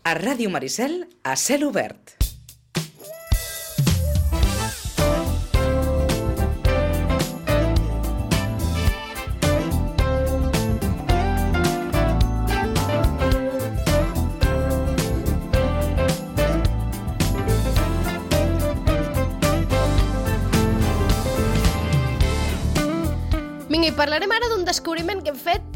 A Ràdio Maricel, a cel obert. Vinga, i parlarem ara d'un descobriment que hem fet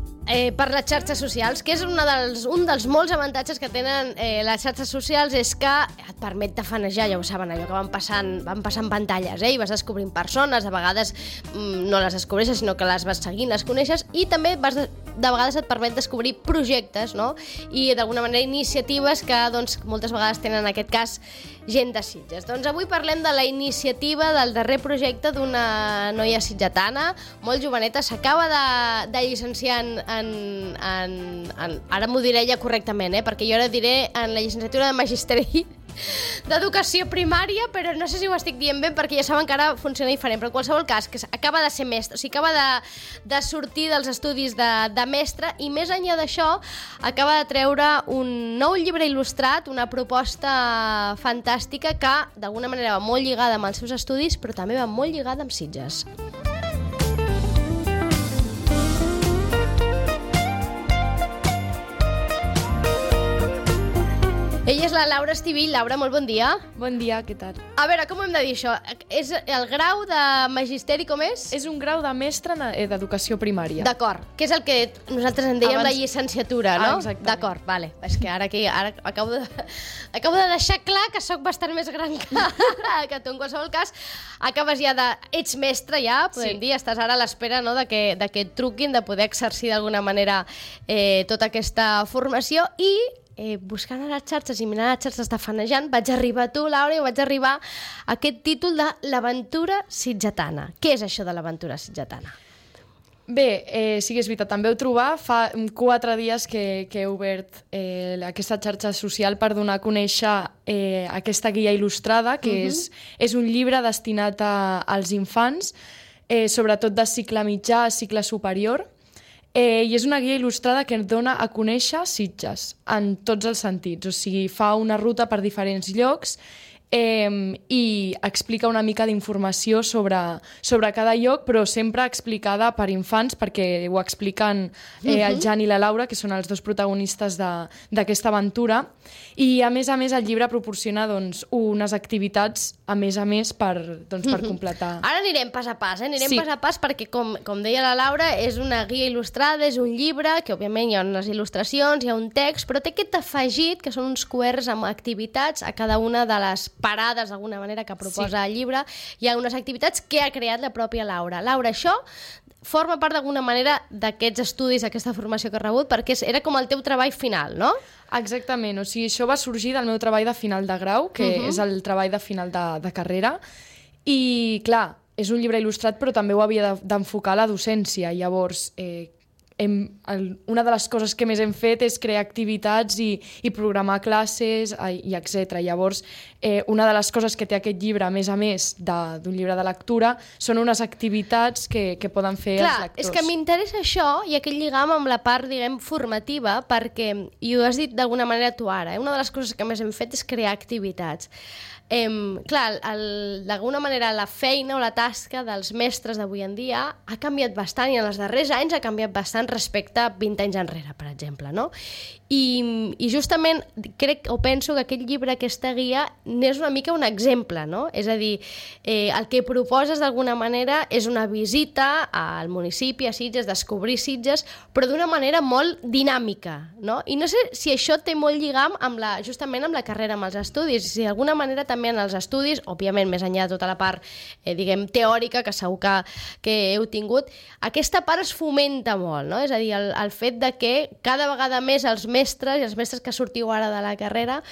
per les xarxes socials, que és un dels molts avantatges que tenen les xarxes socials, és que et permet tafanejar, ja ho saben, allò que van passant pantalles, i vas descobrint persones, de vegades no les descobreixes, sinó que les vas seguint, les coneixes, i també de vegades et permet descobrir projectes, no? I d'alguna manera iniciatives que doncs, moltes vegades tenen en aquest cas gent de Sitges. Doncs avui parlem de la iniciativa del darrer projecte d'una noia sitgetana, molt joveneta, s'acaba de llicenciar ara m'ho diré ja correctament, perquè jo ara diré en la llicenciatura de Magisteri d'Educació Primària, però no sé si ho estic dient bé perquè ja saben que ara funciona diferent, però en qualsevol cas, que acaba de ser mestre, o sigui, acaba de sortir dels estudis de mestre, i més enllà d'això acaba de treure un nou llibre il·lustrat, una proposta fantàstica que d'alguna manera va molt lligada amb els seus estudis, però també va molt lligada amb Sitges. Ella és la Laura Estivill. Laura, molt bon dia. Bon dia, què tal? A veure, com hem de dir això? És el grau de magisteri, com és? És un grau de mestre d'educació primària. D'acord, que és el que nosaltres en dèiem la llicenciatura, no? Exactament. D'acord, vale. És que ara acabo de deixar clar que sóc bastant més gran que tu. En qualsevol cas, acabes ja ets mestre ja, podem dir, estàs ara a l'espera, no, de que et truquin, de poder exercir d'alguna manera tota aquesta formació, i buscant a les xarxes i mirant a les xarxes tafanejant, vaig arribar a tu, Laura, i vaig arribar a aquest títol de l'Aventura Sitgetana. Què és això de l'Aventura Sitgetana? Bé, sí que és veritat, també ho trobar. Fa 4 dies que he obert aquesta xarxa social per donar a conèixer aquesta guia il·lustrada, que és un llibre destinat als infants, sobretot de cicle mitjà a cicle superior, i és una guia il·lustrada que ens dona a conèixer Sitges en tots els sentits, o sigui, fa una ruta per diferents llocs i explica una mica d'informació sobre cada lloc, però sempre explicada per infants, perquè ho expliquen el Jan i la Laura, que són els dos protagonistes d'aquesta aventura, i a més el llibre proporciona unes activitats a més per completar. Ara anirem pas a pas, pas a pas, perquè com deia la Laura, és una guia il·lustrada, és un llibre, que òbviament hi ha unes il·lustracions, hi ha un text, però té aquest afegit, que són uns quaderns amb activitats a cada una de les parades, d'alguna manera, que proposa el llibre. Hi ha unes activitats que ha creat la pròpia Laura. Laura, això forma part d'alguna manera d'aquests estudis, d'aquesta formació que has rebut, perquè era com el teu treball final, no? Exactament, o sigui, això va sorgir del meu treball de final de grau, que és el treball de final de carrera, i clar, és un llibre il·lustrat, però també ho havia d'enfocar a la docència. Llavors, una de les coses que més hem fet és crear activitats i programar classes i etc. Llavors, una de les coses que té aquest llibre, a més d'un llibre de lectura, són unes activitats que poden fer els lectors. És que m'interessa això i aquest lligam amb la part, diguem, formativa, perquè, i ho has dit d'alguna manera tu ara, una de les coses que més hem fet és crear activitats. Clar, d'alguna manera la feina o la tasca dels mestres d'avui en dia ha canviat bastant, i en els darrers anys ha canviat bastant respecte a 20 anys enrere, per exemple, no? I justament crec o penso que aquest llibre, aquesta guia, n'és una mica un exemple, no? És a dir, el que proposes d'alguna manera és una visita al municipi, a Sitges, descobrir Sitges, però d'una manera molt dinàmica, no? I no sé si això té molt lligam justament amb la carrera, amb els estudis, si d'alguna manera també en els estudis, òbviament més enllà de tota la part, diguem, teòrica, que segur que heu tingut, aquesta part es fomenta molt, no? És a dir, el fet de que cada vegada més els mestres i els mestres que sortiu ara de la carrera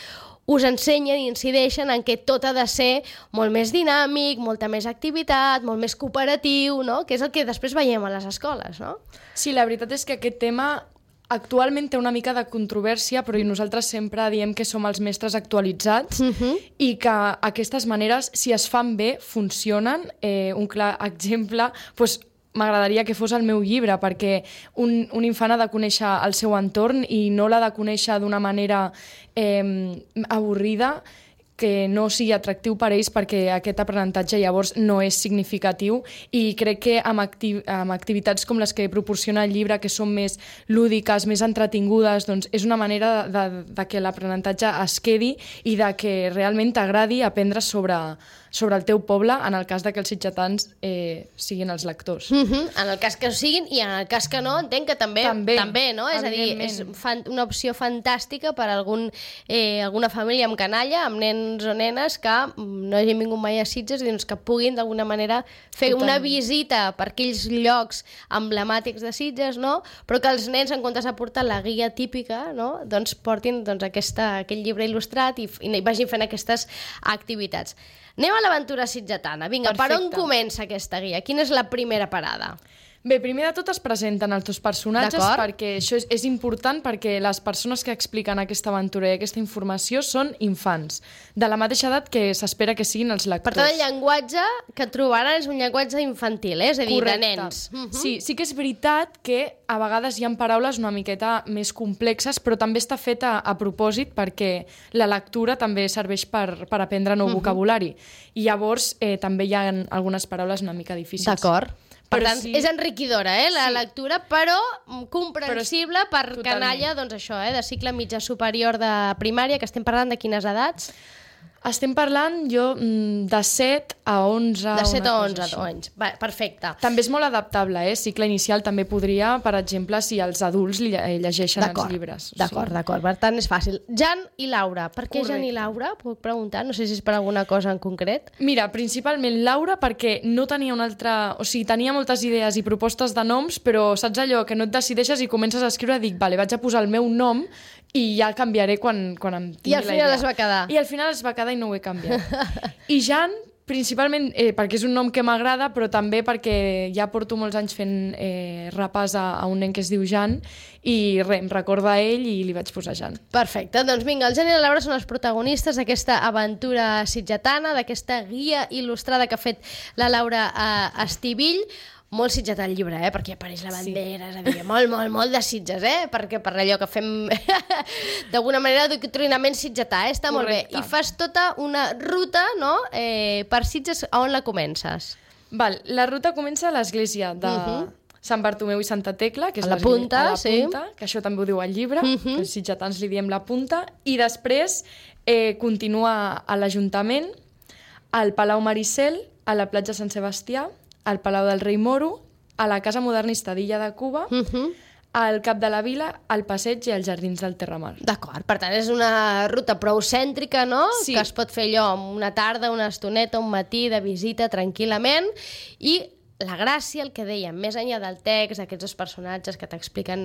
us ensenyen i incideixen en que tot ha de ser molt més dinàmic, molta més activitat, molt més cooperatiu, no? Que és el que després veiem a les escoles, no? Sí, la veritat és que aquest tema actualment té una mica de controvèrsia, però nosaltres sempre diem que som els mestres actualitzats i que aquestes maneres, si es fan bé, funcionen. Un clar exemple, m'agradaria que fos el meu llibre, perquè un infant ha de conèixer el seu entorn i no l'ha de conèixer d'una manera avorrida, que no sigui atractiu per a ells, perquè aquest aprenentatge llavors no és significatiu, i crec que amb activitats com les que proporciona el llibre, que són més lúdiques, més entretingudes, doncs és una manera de que l'aprenentatge es quedi i de que realment t'agradi aprendre sobre el teu poble, en el cas de que els sitgetans siguin els lectors. En el cas que ho siguin, i en el cas que no, entenc que també no? És a dir, és una opció fantàstica per a alguna família amb canalla, amb nens o nenes que no hagin vingut mai a Sitges, doncs que puguin d'alguna manera fer una visita per aquells llocs emblemàtics de Sitges, no? Però que els nens, en comptes de portar la guia típica, no? Doncs portin aquell llibre il·lustrat i vagin fent aquestes activitats. Anem a l'aventura sitgetana. Vinga, per on comença aquesta guia? Quina és la primera parada? Bé, primer de tot es presenten els dos personatges, perquè això és important, perquè les persones que expliquen aquesta aventura i aquesta informació són infants, de la mateixa edat que s'espera que siguin els lectors. Per tant, el llenguatge que trobaran és un llenguatge infantil, és a dir, de nens. Sí que és veritat que a vegades hi ha paraules una miqueta més complexes, però també està feta a propòsit, perquè la lectura també serveix per aprendre nou vocabulari. I llavors també hi ha algunes paraules una mica difícils. D'acord. Per tant, és enriquidora, la lectura, però comprensible per canalla, doncs això, de cicle mitjà superior de primària, que estem parlant de quines edats? Estem parlant, de 7 a 11... De 7 a 11 anys. Va, perfecte. També és molt adaptable, cicle inicial també podria, per exemple, si els adults llegeixen els llibres. D'acord. Per tant, és fàcil. Jan i Laura. Per què Jan i Laura? Puc preguntar? No sé si és per alguna cosa en concret. Mira, principalment Laura, perquè no tenia una altra... O sigui, tenia moltes idees i propostes de noms, però saps allò que no et decideixes i comences a escriure, dic, vale, vaig a posar el meu nom i ja canviaré quan em tingui la idea. I al final es va quedar. I al final es va quedar i no ho he canviat. I Jan, principalment perquè és un nom que m'agrada, però també perquè ja porto molts anys fent repàs a un nen que es diu Jan i em recorda a ell i li vaig posar Jan. Perfecte, doncs vinga, el Jan i la Laura són els protagonistes d'aquesta aventura sitgetana, d'aquesta guia il·lustrada que ha fet la Laura Estivill. Molt sitgetà el llibre, perquè apareix la bandera, és a dir, molt de Sitges, perquè per allò que fem d'alguna manera d'adoctrinament sitgetà, està molt bé. I fas tota una ruta, no?, per Sitges, a on la comences? La ruta comença a l'església de Sant Bartomeu i Santa Tecla, que és a la punta, que això també ho diu al llibre, que els sitgetans li diem la punta, i després continua a l'Ajuntament, al Palau Maricel, a la platja Sant Sebastià, al Palau del Rei Moro, a la Casa Modernista d'Illa de Cuba, al Cap de la Vila, al Passeig i als Jardins del Terramar. D'acord, per tant, és una ruta prou cèntrica, no? Sí. Que es pot fer allò una tarda, una estoneta, un matí de visita tranquil·lament, i la gràcia, el que dèiem, més enllà del text, aquests dos personatges que t'expliquen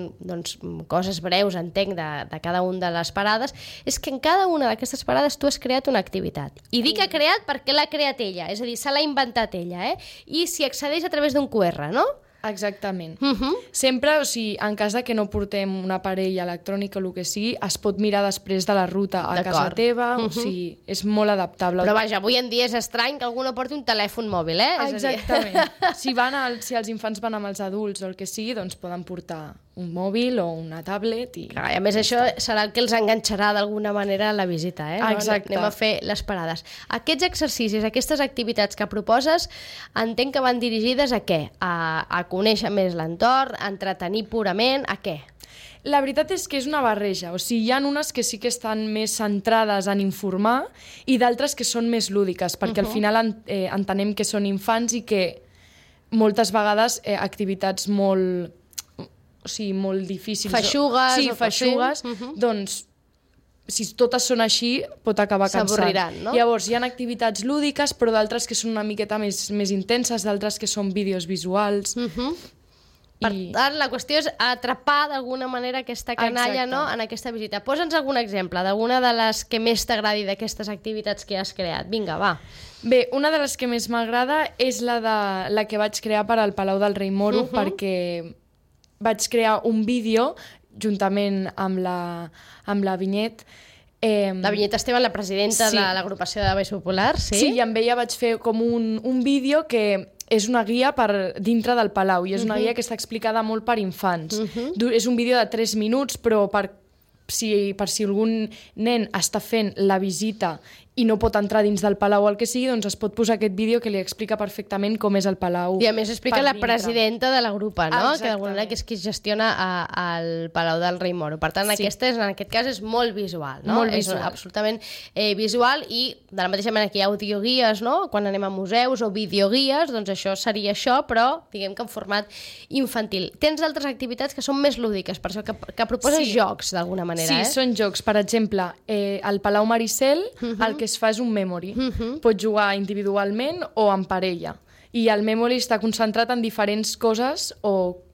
coses breus, entenc, de cada una de les parades, és que en cada una d'aquestes parades tu has creat una activitat. I dic que ha creat perquè l'ha creat ella, és a dir, se l'ha inventat ella, i s'hi accedeix a través d'un QR, no? Exactament. Sempre, o sigui, en cas de que no portem un aparell electrònic o el que sigui, es pot mirar després de la ruta a casa teva, o sigui, és molt adaptable. Però vaja, avui en dia és estrany que algú no porti un telèfon mòbil, Exactament. Si els infants van amb els adults o el que sigui, doncs poden portar un mòbil o una tablet. I a més, això serà el que els enganxarà d'alguna manera a la visita, Exacte. Anem a fer les parades. Aquests exercicis, aquestes activitats que proposes, entenc que van dirigides a què? A conèixer més l'entorn, a entretenir purament, a què? La veritat és que és una barreja, o sigui, hi ha unes que sí que estan més centrades en informar i d'altres que són més lúdiques, perquè al final entenem que són infants i que moltes vegades activitats molt difícils... Feixugues. Sí, feixugues, doncs si totes són així, pot acabar cansant. S'avorriran, no? Llavors, hi ha activitats lúdiques, però d'altres que són una miqueta més intenses, d'altres que són vídeos visuals... Per tant, la qüestió és atrapar d'alguna manera aquesta canalla, no?, en aquesta visita. Posa'ns algun exemple d'alguna de les que més t'agradi d'aquestes activitats que has creat. Vinga, va. Bé, una de les que més m'agrada és la que vaig crear per al Palau del Rei Moro, perquè vaig crear un vídeo juntament amb la Vinyet. La Vinyet Esteban, la presidenta de l'agrupació de Baix Popular, sí? Sí, i amb ella vaig fer com un vídeo que és una guia per dintre del Palau i és una guia que està explicada molt per infants. És un vídeo de 3 minuts, però per si algun nen està fent la visita i no pot entrar dins del Palau o el que sigui, doncs es pot posar aquest vídeo que li explica perfectament com és el Palau. I a més explica la presidenta de la grupa, no? Exactament. Que d'alguna manera que és qui gestiona el Palau del Rei Moro. Per tant, en aquest cas és molt visual, no? Molt visual. És absolutament visual i de la mateixa manera que hi ha audioguies, no? Quan anem a museus o videoguies, doncs això seria això, però diguem que en format infantil. Tens altres activitats que són més lúdiques, per això que proposes jocs d'alguna manera, Sí, són jocs. Per exemple, al Palau Maricel el que es fa és un memory. Pots jugar individualment o en parella. I el memory està concentrat en diferents coses o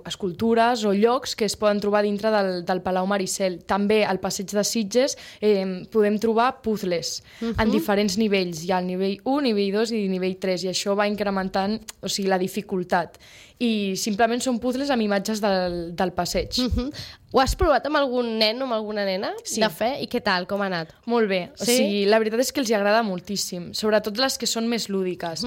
escultures o llocs que es poden trobar dintre del Palau Maricel. També al Passeig de Sitges podem trobar puzzles en diferents nivells. Hi ha el nivell 1, nivell 2 i nivell 3, i això va incrementant, o sigui, la dificultat. I simplement són puzzles amb imatges del passeig. Ho has provat amb algun nen o amb alguna nena de fer? I què tal? Com ha anat? Molt bé. O sigui, la veritat és que els agrada moltíssim, sobretot les que són més lúdiques.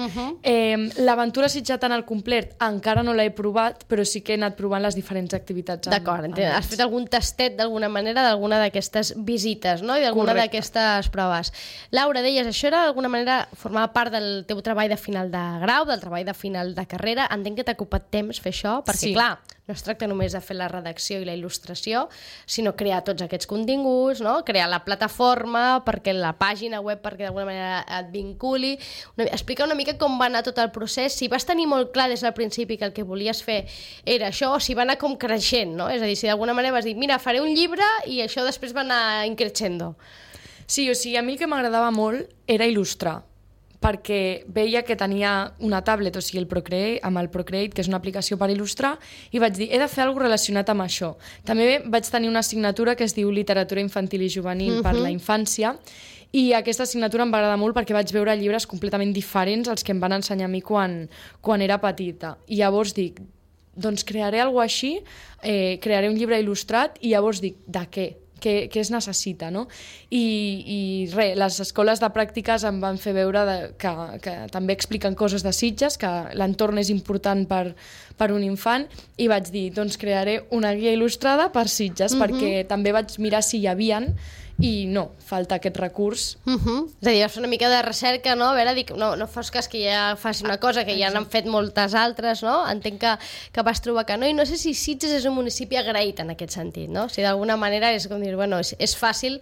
L'aventura sitjatana al complet encara no l'he provat, però sí que he anat provant les diferents activitats. D'acord, has fet algun tastet d'alguna manera d'alguna d'aquestes visites, no? I d'alguna d'aquestes proves. Laura, deies, això era d'alguna manera formava part del teu treball de final de grau, del treball de final de carrera. Entenc que t'ha ocupat temps fer això, perquè clar, no es tracta només de fer la redacció i la il·lustració, sinó crear tots aquests continguts, no? Crear la plataforma, perquè la pàgina web perquè d'alguna manera et vinculi. Explica una mica com va anar tot el procés, si vas tenir molt clar des del principi que el que volies fer era això, o si va anar com creixent, no? És a dir, si d'alguna manera vas dir, mira, faré un llibre i això després va anar increixendo. Sí, o sigui, a mi el que m'agradava molt era il·lustrar, perquè veia que tenia una tablet, o sigui, amb el Procreate, que és una aplicació per il·lustrar, i vaig dir, he de fer alguna cosa relacionat amb això. També vaig tenir una assignatura que es diu Literatura Infantil i Juvenil per la infància, i aquesta assignatura em va agradar molt perquè vaig veure llibres completament diferents als que em van ensenyar a mi quan era petita. I llavors dic, doncs crearé alguna cosa així, crearé un llibre il·lustrat, i llavors dic, de què? Què es necessita, no? I res, les escoles de pràctiques em van fer veure que també expliquen coses de Sitges, que l'entorn és important per un infant, i vaig dir, doncs crearé una guia il·lustrada per Sitges, perquè també vaig mirar si hi havien, i no, falta aquest recurs. És a dir, vas fer una mica de recerca, no? A veure, dic, no fos cas que ja faci una cosa que ja n'han fet moltes altres, no? Entenc que vas trobar que no, i no sé si Sitges és un municipi agraït en aquest sentit, no? Si d'alguna manera és com dir, bueno, és fàcil,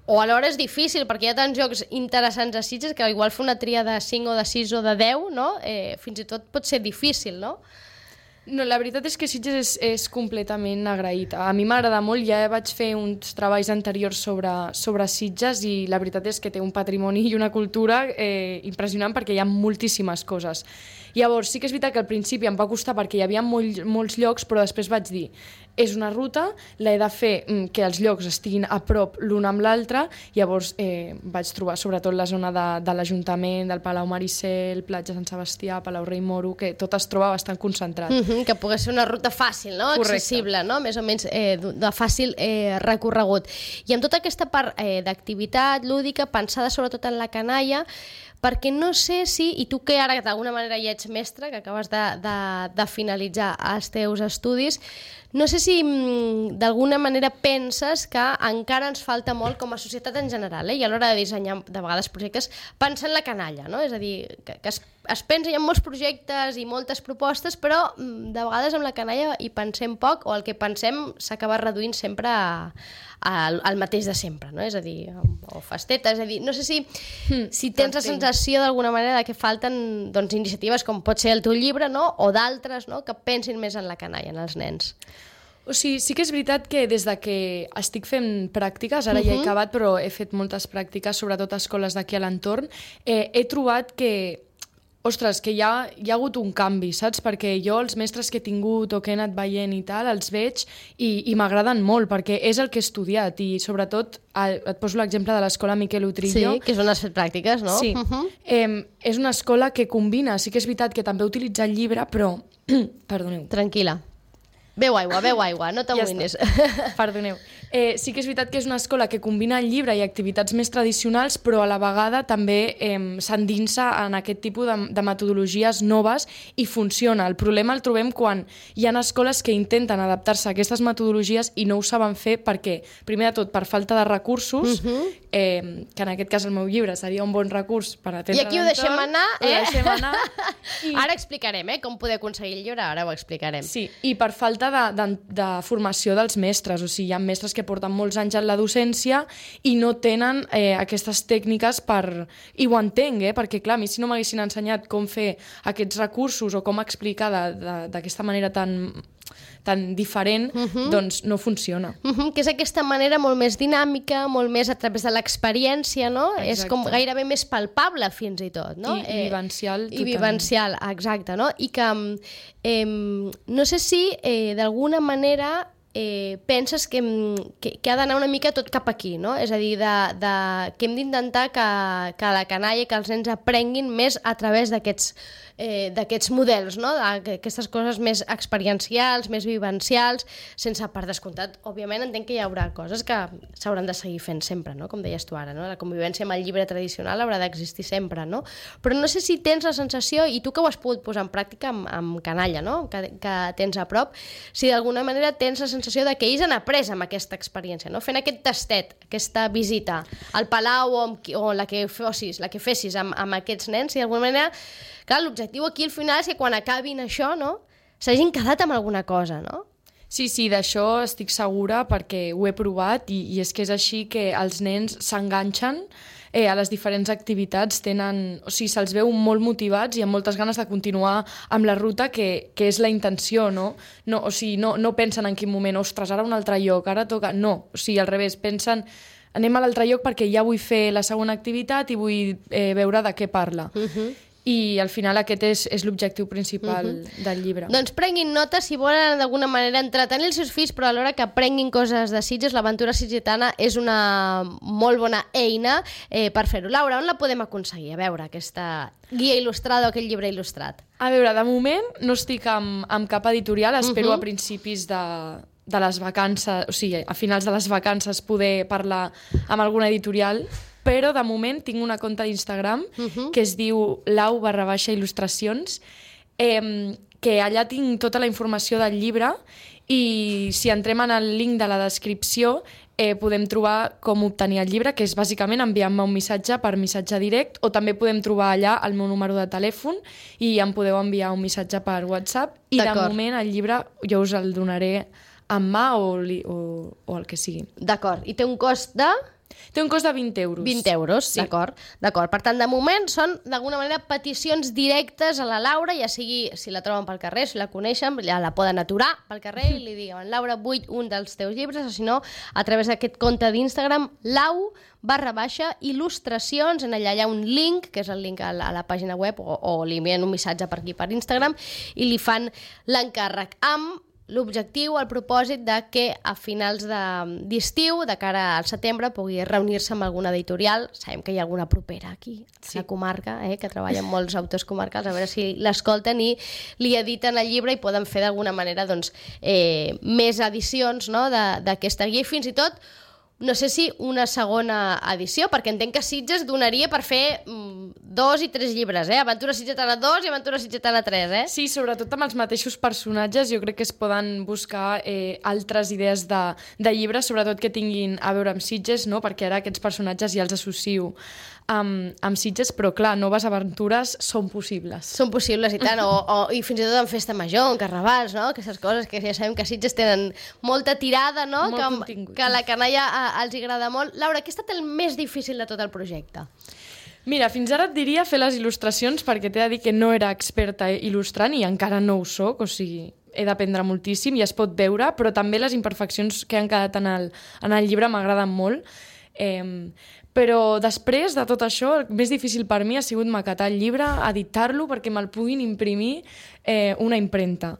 o alhora és difícil, perquè hi ha tants jocs interessants a Sitges que igual fer una tria de 5 o de 6 o de 10, no? Fins i tot pot ser difícil, no? No, la veritat és que Sitges és completament agraït. A mi m'agrada molt, ja vaig fer uns treballs anteriors sobre Sitges i la veritat és que té un patrimoni i una cultura impressionant perquè hi ha moltíssimes coses. Llavors, sí que és veritat que al principi em va costar perquè hi havia molts llocs, però després vaig dir, és una ruta, l'he de fer que els llocs estiguin a prop l'un amb l'altre, llavors vaig trobar sobretot la zona de l'Ajuntament, del Palau Maricel, Platja Sant Sebastià, Palau Rei Moro, que tot es troba bastant concentrat. Que pogués ser una ruta fàcil, no? Accessible, no? Més o menys de fàcil recorregut. I amb tota aquesta part d'activitat lúdica, pensada sobretot en la canalla, perquè no sé si, i tu que ara d'alguna manera ja ets mestre, que acabes de finalitzar els teus estudis, no sé si d'alguna manera penses que encara ens falta molt com a societat en general, i a l'hora de dissenyar de vegades projectes, pensar en la canalla, no? És a dir, que es pensa, hi ha molts projectes i moltes propostes, però de vegades amb la canalla hi pensem poc, o el que pensem s'acaba reduint sempre al mateix de sempre, no? És a dir, o festeta, és a dir, no sé si tens la sensació d'alguna manera que falten iniciatives com pot ser el teu llibre, no? O d'altres, no? Que pensin més en la canalla, en els nens. O sigui, sí que és veritat que des de que estic fent pràctiques, ara ja he acabat, però he fet moltes pràctiques, sobretot a escoles d'aquí a l'entorn, he trobat que ostres, que hi ha hagut un canvi, saps? Perquè jo els mestres que he tingut o que he anat veient i tal, els veig i m'agraden molt, perquè és el que he estudiat i sobretot, et poso l'exemple de l'escola Miquel Utrillo. Sí, que és on has fet pràctiques, no? Sí. És una escola que combina, sí que és veritat que també utilitza el llibre, però... Perdoneu. Tranquil·la. Beu aigua, no t'amoïnis. Perdoneu. Sí que és veritat que és una escola que combina el llibre i activitats més tradicionals, però a la vegada també s'endinsa en aquest tipus de metodologies noves i funciona. El problema el trobem quan hi ha escoles que intenten adaptar-se a aquestes metodologies i no ho saben fer perquè, primer de tot, per falta de recursos, que en aquest cas el meu llibre seria un bon recurs per atendre I aquí ho deixem anar, Ho deixem anar. Ara explicarem, com poder aconseguir el llibre, ara ho explicarem. Sí, i per falta de formació dels mestres, o sigui, hi ha mestres que porten molts anys en la docència i no tenen aquestes tècniques i ho entenc, perquè clar, a mi si no m'haguessin ensenyat com fer aquests recursos o com explicar d'aquesta manera tan diferent, doncs no funciona. Que és aquesta manera molt més dinàmica, molt més a través de l'experiència, no? Exacte. És com gairebé més palpable, fins i tot, no? I vivencial. I vivencial, exacte, no? I que no sé si d'alguna manera penses que ha d'anar una mica tot cap aquí, no? És a dir, que hem d'intentar que la canalla, que els nens aprenguin més a través d'aquests models, no? Aquestes coses més experiencials, més vivencials, sense, per descomptat, òbviament entenc que hi haurà coses que s'hauran de seguir fent sempre, no? Com deies tu ara, no? La convivència amb el llibre tradicional haurà d'existir sempre, no? Però no sé si tens la sensació, i tu que ho has pogut posar en pràctica amb canalla, no? Que tens a prop, si d'alguna manera tens la sensació de que ells han après amb aquesta experiència, no? Fent aquest tastet, aquesta visita al Palau o la que fessis amb aquests nens, i d'alguna manera, clar, l'objectiu aquí al final és que quan acabin això, no? S'hagin quedat amb alguna cosa, no? Sí, d'això estic segura perquè ho he provat i és que és així que els nens s'enganxen a les diferents activitats, se'ls veu molt motivats i amb moltes ganes de continuar amb la ruta que és la intenció, no? No pensen en quin moment, ostres, ara un altre lloc, ara toca... No, al revés, pensen anem a l'altre lloc perquè ja vull fer la segona activitat i vull veure de què parla. I al final aquest és l'objectiu principal del llibre. Doncs prenguin nota si volen d'alguna manera entretenir els seus fills, però alhora que aprenguin coses de Sitges. L'aventura sitgetana és una molt bona eina per fer-ho. Laura, on la podem aconseguir? A veure, aquesta guia il·lustrada o aquest llibre il·lustrat. A veure, de moment no estic amb cap editorial, espero a principis de les vacances, o sigui, a finals de les vacances poder parlar amb alguna editorial, però de moment tinc una compte d'Instagram que es diu lau_il·lustracions, que allà tinc tota la informació del llibre i si entrem en el link de la descripció podem trobar com obtenir el llibre, que és bàsicament enviant-me un missatge per missatge directe, o també podem trobar allà el meu número de telèfon i em podeu enviar un missatge per WhatsApp i de moment el llibre jo us el donaré en mà o el que sigui. D'acord, i té un cost de... Té un cost de 20 euros. 20 euros, sí. D'acord. Per tant, de moment són, d'alguna manera, peticions directes a la Laura, ja sigui si la troben pel carrer, si la coneixen, ja la poden aturar pel carrer i li diguen, Laura, vull un dels teus llibres, o si no, a través d'aquest compte d'Instagram, lau_il·lustracions, en allà hi ha un link, que és el link a la pàgina web, o li envien un missatge per aquí, per Instagram, i li fan l'encàrrec amb l'objectiu, el propòsit de que a finals d'estiu, de cara al setembre, pugui reunir-se amb alguna editorial. Sabem que hi ha alguna propera aquí, a la comarca, que treballa amb molts autors comarcals, a veure si l'escolten i li editen el llibre i poden fer d'alguna manera més edicions d'aquesta guia i fins i tot no sé si una segona edició, perquè entenc que Sitges donaria per fer 2 i 3 llibres, Aventura Sitgetana 2 i Aventura Sitgetana 3, Sí, sobretot amb els mateixos personatges, jo crec que es poden buscar altres idees de llibres, sobretot que tinguin a veure amb Sitges, no? Perquè ara aquests personatges ja els associo amb Sitges, però clar, noves aventures són possibles. Són possibles i tant, i fins i tot en festa major, en carnavals, no? Aquestes coses que ja sabem que Sitges tenen molta tirada, no? Molt contingut. Que a la canalla els agrada molt. Laura, què ha estat el més difícil de tot el projecte? Mira, fins ara et diria fer les il·lustracions perquè t'he de dir que no era experta il·lustrant i encara no ho soc, o sigui, he d'aprendre moltíssim i es pot veure, però també les imperfeccions que han quedat en el llibre m'agraden molt. Però després de tot això, el més difícil per mi ha sigut maquetar el llibre, editar-lo perquè me'l puguin imprimir una impremta.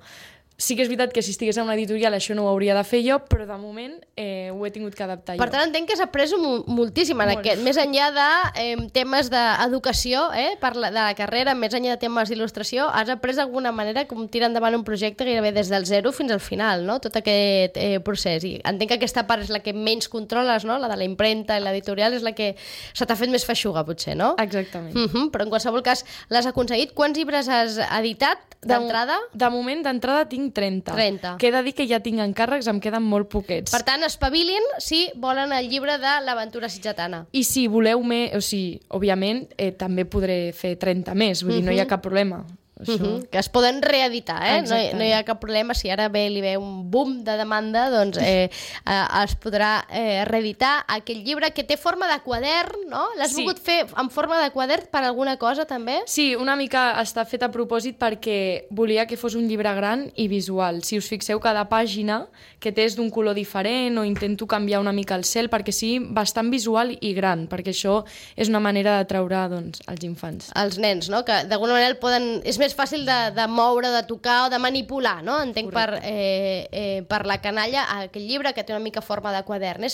Sí que és veritat que si estigués en una editorial això no ho hauria de fer jo, però de moment ho he tingut que adaptar jo. Per tant, entenc que has après moltíssim en aquest. Més enllà de temes d'educació, de la carrera, més enllà de temes d'il·lustració, has après d'alguna manera com tirar endavant un projecte gairebé des del zero fins al final, no? Tot aquest procés. I entenc que aquesta part és la que menys controles, no? La de la impremta i l'editorial és la que se t'ha fet més feixuga, potser, no? Exactament. Però en qualsevol cas l'has aconseguit. Quants llibres has editat d'entrada? De moment, d'entrada tinc 30. Que he de dir que ja tinc encàrrecs, em queden molt poquets. Per tant, espavilin si volen el llibre de l'aventura sitgetana. I si voleu més, o sigui, òbviament, també podré fer 30 més, vull dir, no hi ha cap problema. Que es poden reeditar, no hi ha cap problema. Si ara li ve un boom de demanda, doncs es podrà reeditar aquell llibre que té forma de quadern, no? L'has volgut fer en forma de quadern per alguna cosa, també? Sí, una mica està fet a propòsit perquè volia que fos un llibre gran i visual. Si us fixeu, cada pàgina que té és d'un color diferent o intento canviar una mica el cel perquè sigui bastant visual i gran, perquè això és una manera d'atraure els infants. Els nens, no? Que d'alguna manera el poden... És més fàcil de moure, de tocar o de manipular, no? Entenc per la canalla aquell llibre que té una mica forma de quadern.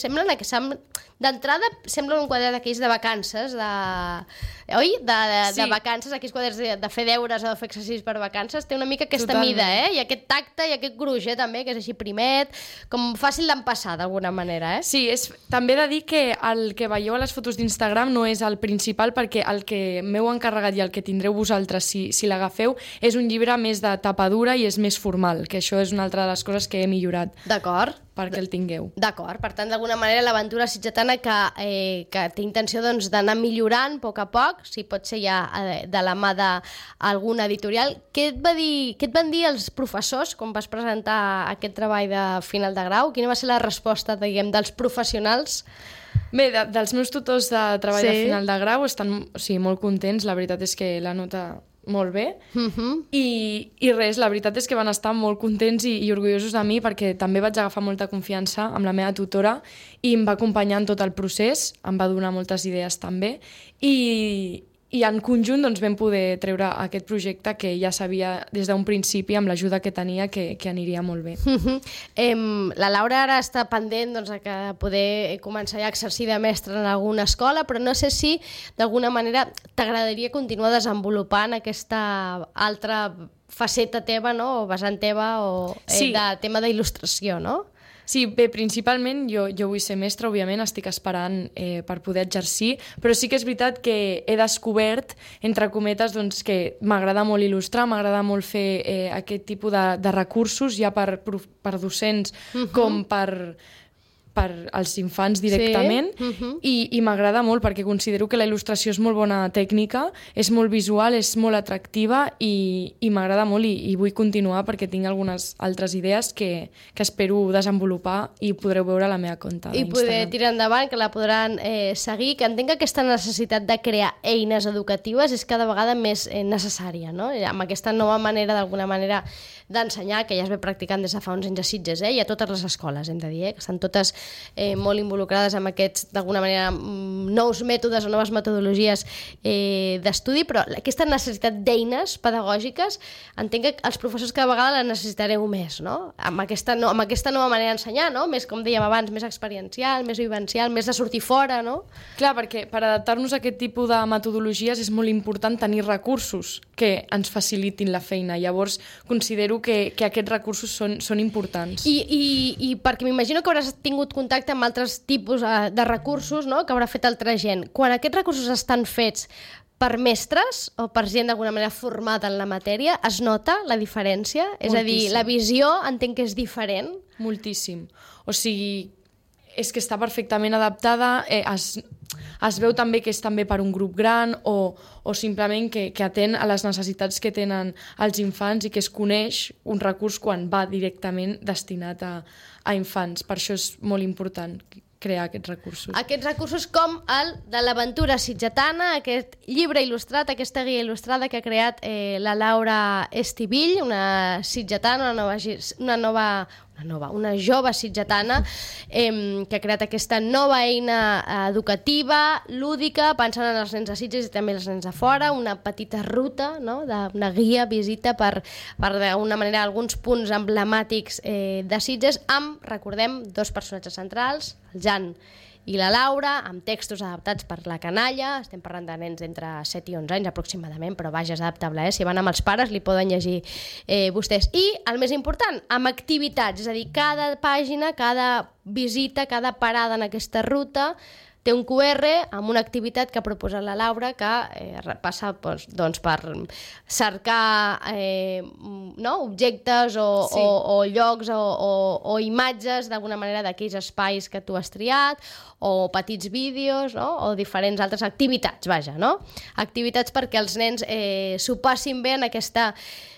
D'entrada sembla un quadern d'aquells de vacances, oi? De vacances, aquells quaderns de fer deures o de fer exercicis per vacances, té una mica aquesta mida, i aquest tacte i aquest gruix, també, que és així primet, com fàcil d'empassar d'alguna manera, Sí, també he de dir que el que veieu a les fotos d'Instagram no és el principal, perquè el que m'heu encarregat i el que tindreu vosaltres si l'agafeu és un llibre més de tapa dura i és més formal, que això és una altra de les coses que he millorat. D'acord. Perquè el tingueu. D'acord, per tant, d'alguna manera l'aventura sitgetana que té intenció d'anar millorant a poc a poc, si pot ser ja de la mà d'alguna editorial. Què et van dir els professors quan vas presentar aquest treball de final de grau? Quina va ser la resposta, diguem, dels professionals? Bé, dels meus tutors de treball de final de grau estan molt contents, la veritat és que la nota molt bé, i res, la veritat és que van estar molt contents i orgullosos de mi perquè també vaig agafar molta confiança amb la meva tutora i em va acompanyar en tot el procés, em va donar moltes idees també i en conjunt vam poder treure aquest projecte que ja sabia des d'un principi amb l'ajuda que tenia que aniria molt bé. La Laura ara està pendent de poder començar a exercir de mestra en alguna escola, però no sé si d'alguna manera t'agradaria continuar desenvolupant aquesta altra faceta teva, no? O vessant teva o de tema d'il·lustració, no? Sí, bé, principalment jo vull ser mestra, òbviament, estic esperant per poder exercir, però sí que és veritat que he descobert, entre cometes, que m'agrada molt il·lustrar, m'agrada molt fer aquest tipus de recursos, ja per docents com per als infants directament, i m'agrada molt perquè considero que la il·lustració és molt bona tècnica, és molt visual, és molt atractiva i m'agrada molt i vull continuar perquè tinc algunes altres idees que espero desenvolupar i podreu veure a la meva compte d'Instagram. I poder tirar endavant, que la podran seguir, que entenc que aquesta necessitat de crear eines educatives és cada vegada més necessària, no? Amb aquesta nova manera, d'alguna manera, d'ensenyar, que ja es ve practicant des de fa uns anys a Sitges, i a totes les escoles, hem de dir, que estan totes molt involucrades amb aquests, d'alguna manera, nous mètodes o noves metodologies d'estudi, però aquesta necessitat d'eines pedagògiques, entenc que els professors cada vegada la necessitareu més, no? Amb aquesta nova manera d'ensenyar, no? Més, com dèiem abans, més experiencial, més vivencial, més de sortir fora, no? Clar, perquè per adaptar-nos a aquest tipus de metodologies és molt important tenir recursos que ens facilitin la feina. Llavors, considero que aquests recursos són importants. I perquè m'imagino que hauràs tingut contacte amb altres tipus de recursos, no?, que haurà fet altra gent. Quan aquests recursos estan fets per mestres o per gent d'alguna manera formada en la matèria, es nota la diferència? Moltíssim. És a dir, la visió entenc que és diferent? Moltíssim. O sigui, és que està perfectament adaptada, es veu també que és també per un grup gran o simplement que atén a les necessitats que tenen els infants i que es coneix un recurs quan va directament destinat a infants. Per això és molt important crear aquests recursos. Aquests recursos com el de l'aventura sitgetana, aquest llibre il·lustrat, aquesta guia il·lustrada que ha creat la Laura Estivill, una sitgetana, una jove sitgetana que ha creat aquesta nova eina educativa, lúdica, pensant en els nens de Sitges i també els nens de fora, una petita ruta, no? Una guia, visita per d'alguna manera alguns punts emblemàtics de Sitges amb, recordem, 2 personatges centrals, el Jan i la Laura, amb textos adaptats per la canalla. Estem parlant de nens entre 7 i 11 anys aproximadament, però vaja, és adaptable, si van amb els pares li poden llegir vostès. I el més important, amb activitats, és a dir, cada pàgina, cada visita, cada parada en aquesta ruta té un QR amb una activitat que ha proposat la Laura que passa doncs, per cercar objectes o llocs o imatges d'alguna manera d'aquells espais que tu has triat o petits vídeos o diferents altres activitats, vaja, no? Activitats perquè els nens s'ho passin bé en aquesta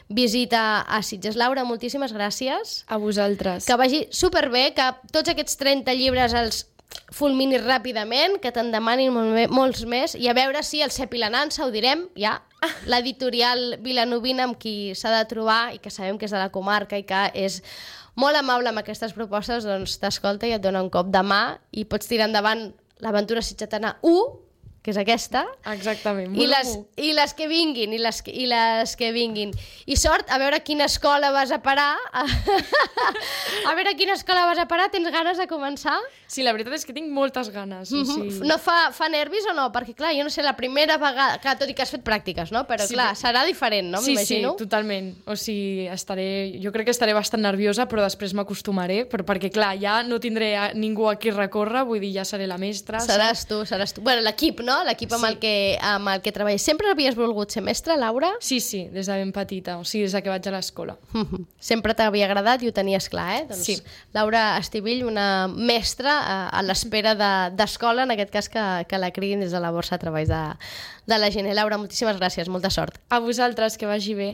visita a Sitges. Laura, moltíssimes gràcies. A vosaltres. Que vagi superbé, que tots aquests 30 llibres els fulminis ràpidament, que te'n demanin molts més, i a veure si el Cep i la Nansa, ho direm, ja, l'editorial vilanovina amb qui s'ha de trobar i que sabem que és de la comarca i que és molt amable amb aquestes propostes, doncs t'escolta i et dona un cop de mà i pots tirar endavant l'Aventura Sitgetana 1, que és aquesta. Exactament. I les que vinguin, i les que vinguin. I sort, a veure quina escola vas a parar. A veure quina escola vas a parar. Tens ganes de començar? Sí, la veritat és que tinc moltes ganes. O sigui... No fa nervis o no? Perquè, clar, jo no sé, la primera vegada... Clar, tot i que has fet pràctiques, no? Però, clar, serà diferent, no? M'imagino. Sí, totalment. O sigui, jo crec que estaré bastant nerviosa, però després m'acostumaré, perquè, clar, ja no tindré ningú a qui recórrer, vull dir, ja seré la mestra. Seràs tu. Bueno, l'equip, no? L'equip amb el que treballes. Sempre havies volgut ser mestra, Laura? Sí, des de ben petita, o sigui, des que vaig a l'escola. Sempre t'havia agradat i ho tenies clar, eh? Doncs sí. Laura Estivill, una mestra a l'espera d'escola, en aquest cas que la cridin des de la borsa a treballs de la gent. Laura, moltíssimes gràcies, molta sort. A vosaltres, que vagi bé.